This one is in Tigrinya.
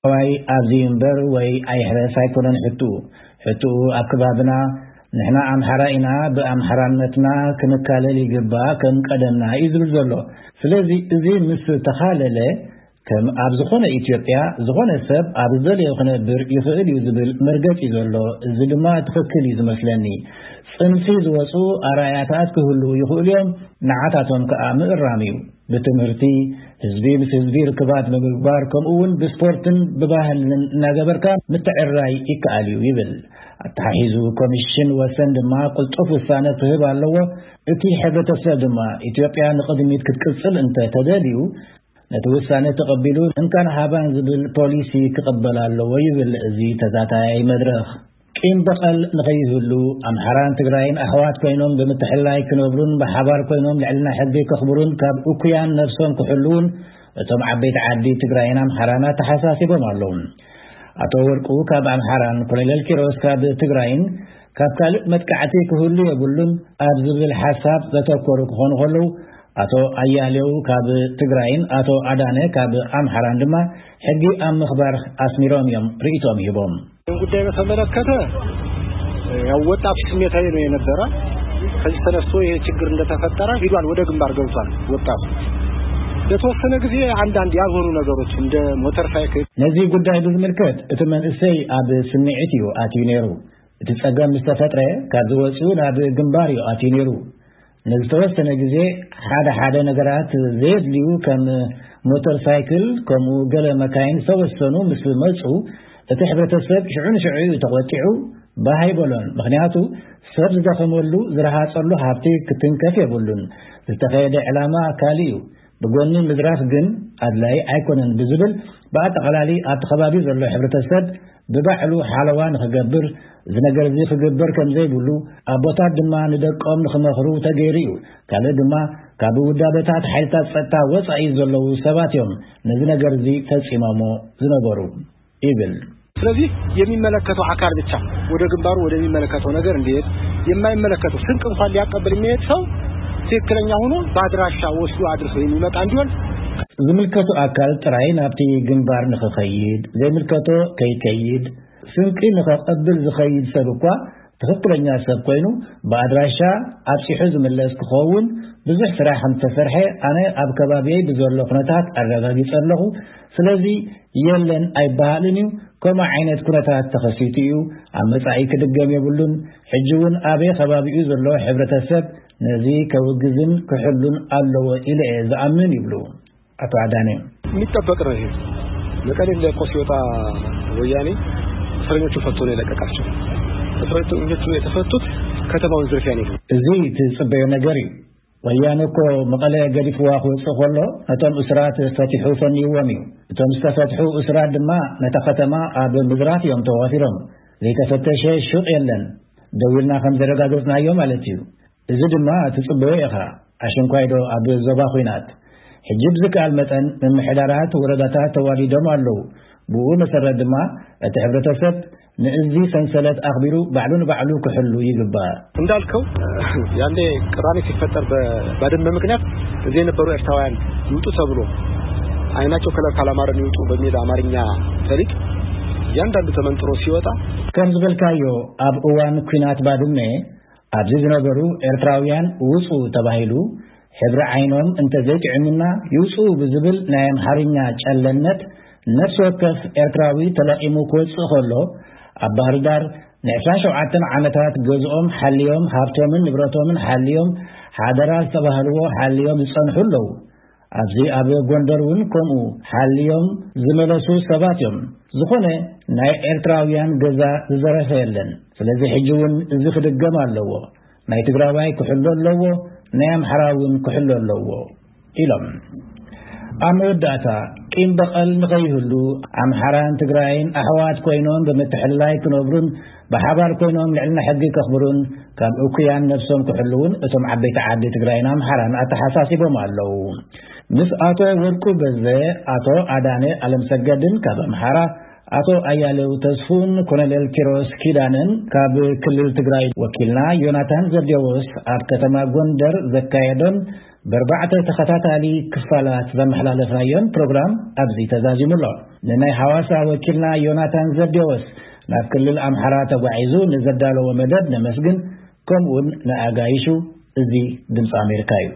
ዋይ ኣብዚ እምበር ወይ ኣይሕረስ ኣይኮነን ሕቱ። ሕቱ ኣብ ከባብና ንሕና ኣምሓራ ኢና፣ ብኣምሓራነትና ክንካለል ይግባእ ከም ቀደምና እዩ ዝብል ዘሎ። ስለዚ እዚ ምስ ተኻለለ ከም ኣብ ዝኾነ ኢትዮጵያ ዝኾነ ሰብ ኣብ ዝደለዮ ክነብር ይኽእል እዩ ዝብል መርገጺ ዘሎ። እዚ ድማ ትኽክል እዩ ዝመስለኒ። ጽንፊ ዝወጹ ኣራያታት ክህልዉ ይኽእሉ እዮም፣ ንዓታቶም ከኣ ምእራም እዩ። ብትምህርቲ፣ ህዝቢ ምስ ህዝቢ ርክባት ብምግባር፣ ከምኡ እውን ብስፖርትን ብባህልን እናገበርካ ምትዕርራይ ይከኣል እዩ ይብል። ኣተሓሒዙ ኮሚሽን ወሰን ድማ ቅልጡፍ ውሳነ ክህብ ኣለዎ። እቲ ሕብረተሰብ ድማ ኢትዮጵያ ንቕድሚት ክትቅጽል እንተ ተደልዩ፣ ነቲ ውሳነ ተቐቢሉ እንካን ሃባን ዝብል ፖሊሲ ክቕበል ኣለዎ ይብል እዚ ተዛታያይ መድረኽ። ቂም በቐል ንኸይህሉ ኣምሓራን ትግራይን ኣሕዋት ኮይኖም ብምትሕልላይ ክነብሩን ብሓባር ኮይኖም ልዕልና ሕጊ ከኽብሩን ካብ እኩያን ነብሶም ክሕልውን እቶም ዓበይቲ ዓዲ ትግራይን ኣምሓራን ኣተሓሳሲቦም ኣለዉ። ኣቶ ወርቁ ካብ ኣምሓራን ኮሎኔል ኪሮስ ካብ ትግራይን ካብ ካልእ መጥቃዕቲ ክህሉ የብሉን ኣብ ዝብል ሓሳብ ዘተኮሩ ክኾኑ ከለዉ፣ ኣቶ ኣያሌው ካብ ትግራይን ኣቶ ኣዳነ ካብ ኣምሓራን ድማ ሕጊ ኣብ ምኽባር ኣስሚሮም እዮም ርእይቶም ሂቦም። ይህን ጉዳይ በተመለከተ ያው ወጣቱ ስሜታዊ ነው የነበረ። ከዚህ ተነስቶ ይሄ ችግር እንደተፈጠረ ሂዷል፣ ወደ ግንባር ገብቷል ወጣቱ። ለተወሰነ ጊዜ አንዳንድ ያልሆኑ ነገሮች እንደ ሞተር ሳይክል ነዚ ጉዳይ ብዝምልከት እቲ መንእሰይ ኣብ ስምዒት እዩ ኣትዩ ነይሩ። እቲ ጸገም ምስ ተፈጥረ ካብ ዝወጽኡ ናብ ግንባር እዩ ኣትዩ ነይሩ። ንዝተወሰነ ግዜ ሓደ ሓደ ነገራት ዘየድልዩ ከም ሞተር ሳይክል ከምኡ ገለ መካይን ዝተወሰኑ ምስ መጹ እቲ ሕብረተሰብ ሽዑ ንሽዑ እዩ ተቖጢዑ። ባህ ኣይበሎን። ምኽንያቱ ሰብ ዝደኸመሉ ዝረሃጸሉ ሃብቲ ክትንከፍ የብሉን። ዝተኸየደ ዕላማ ካልእ እዩ። ብጎኒ ምዝራፍ ግን ኣድላይ ኣይኮነን ብዝብል ብኣጠቓላሊ ኣብቲ ከባቢ ዘሎ ሕብረተሰብ ብባዕሉ ሓለዋ ንኽገብር፣ እዚ ነገር እዚ ክግበር ከም ዘይብሉ ኣቦታት ድማ ንደቆም ንኽመኽሩ ተገይሩ እዩ። ካልእ ድማ ካብ ውዳበታት ሓይልታት ጸጥታ ወጻኢ ዘለዉ ሰባት እዮም ነዚ ነገር እዚ ፈጺሞሞ ዝነበሩ ይብል። ስለዚህ የሚመለከተው አካል ብቻ ወደ ግንባሩ ወደሚመለከተው ነገር እንዲሄድ፣ የማይመለከተው ስንቅ እንኳን ሊያቀብል የሚሄድ ሰው ትክክለኛ ሆኖ በአድራሻ ወስዶ አድርሶ የሚመጣ እንዲሆን ዝምልከቱ ኣካል ጥራይ ናብቲ ግንባር ንኽኸይድ፣ ዘይምልከቶ ከይከይድ፣ ስንቂ ንኸቐብል ዝኸይድ ሰብ እኳ ትኽክለኛ ሰብ ኮይኑ ብኣድራሻ ኣብፂሑ ዝምለስ ክኸውን ብዙሕ ስራሕ ከም ዝተሰርሐ ኣነ ኣብ ከባቢየይ ብዘሎ ኩነታት ኣረጋጊፀ ኣለኹ። ስለዚ የለን ኣይበሃልን እዩ። ከምኡ ዓይነት ኩነታት ተኸሲቱ እዩ። ኣብ መጻኢ ክድገም የብሉን። ሕጂ እውን ኣበይ ከባቢኡ ዘሎ ሕብረተሰብ ነዚ ከውግዝን ክሕሉን ኣለዎ ኢለ እየ ዝኣምን ይብሉ ኣቶ ኣዳነ። የሚጠበቅ ነው። ይሄ መቀሌ ለቆ ሲወጣ ወያኔ እስረኞቹ ፈቶ ነው የለቀቃቸው። እስረኞቹ የተፈቱት ከተማውን ዝርፊያ ነው። እዚ ትጽበዮ ነገር እዩ። ወያነ እኮ መቐለ ገዲፍዋ ክወፅእ ከሎ ነቶም እስራት ፈቲሑ ፈንይዎም እዩ። እቶም ዝተፈትሑ እስራት ድማ ነታ ከተማ ኣብ ምዝራፍ እዮም ተዋፊሮም። ዘይተፈተሸ ሹቕ የለን። ደው ኢልና ከም ዘረጋገፅናዮ ማለት እዩ። እዚ ድማ ትፅበዮ ኢኻ። ኣሽንኳይዶ ኣብ ዞባ ኹናት ሕጂ ብዝከኣል መጠን ምምሕዳራት ወረዳታት ተዋዲዶም ኣለዉ። ብኡ መሰረት ድማ እቲ ሕብረተሰብ ንእዚ ሰንሰለት ኣኽቢሩ ባዕሉ ንባዕሉ ክሕሉ ይግባእ። እንዳልከው ያኔ ቅራኔ ሲፈጠር በባድመ ምክንያት እዚህ የነበሩ ኤርትራውያን ይውጡ ተብሎ አይናቸው ከለር ካላማረን ይውጡ በሚል አማርኛ ፈሊጥ እያንዳንዱ ተመንጥሮ ሲወጣ ከም ዝበልካዮ ኣብ እዋን ኲናት ባድመ ኣብዚ ዝነበሩ ኤርትራውያን ውጹ ተባሂሉ ሕብሪ ዓይኖም እንተዘይጥዕሙና ይውጹ ብዝብል ናይ ኣምሓርኛ ጨለነት ነፍሲ ወከፍ ኤርትራዊ ተለቒሙ ክወጽእ ከሎ ኣብ ባህር ዳር ንዕስራን ሸውዓተን ዓመታት ገዝኦም ሓልዮም ሃብቶምን ንብረቶምን ሓልዮም ሓደራ ዝተባህልዎ ሓልዮም ዝጸንሑ ኣለዉ። ኣብዚ ኣብ ጎንደር እውን ከምኡ ሓልዮም ዝመለሱ ሰባት እዮም። ዝኾነ ናይ ኤርትራውያን ገዛ ዝዘረፈ የለን። ስለዚ ሕጂ እውን እዚ ክድገም ኣለዎ። ናይ ትግራዋይ ክሕሎ ኣለዎ፣ ናይ ኣምሓራ እውን ክሕሎ ኣለዎ ኢሎም። ኣብ መወዳእታ ቂም በቐል ንኸይህሉ ኣምሓራን ትግራይን ኣሕዋት ኮይኖም ብምትሕልላይ ክነብሩን ብሓባር ኮይኖም ልዕልና ሕጊ ከኽብሩን ካብ እኩያን ነብሶም ክሕልውን እቶም ዓበይቲ ዓዲ ትግራይን ኣምሓራን ኣተሓሳሲቦም ኣለዉ። ምስ ኣቶ ወርቁ በዘ፣ ኣቶ ኣዳነ ኣለምሰገድን ካብ ኣምሓራ፣ ኣቶ ኣያሌው ተስፉን ኮሎኔል ኪሮስ ኪዳነን ካብ ክልል ትግራይ ወኪልና ዮናታን ዘብዴዎስ ኣብ ከተማ ጎንደር ዘካየዶን ብኣርባዕተ ተኸታታሊ ክፋላት ዘመሓላለፍናዮን ፕሮግራም ኣብዚ ተዛዚሙ ኣሎ። ንናይ ሐዋሳ ወኪልና ዮናታን ዘዴዎስ ናብ ክልል ኣምሓራ ተጓዒዙ ንዘዳለዎ መደብ ነመስግን። ከምኡውን ንኣጋይሹ። እዚ ድምፂ ኣሜሪካ እዩ።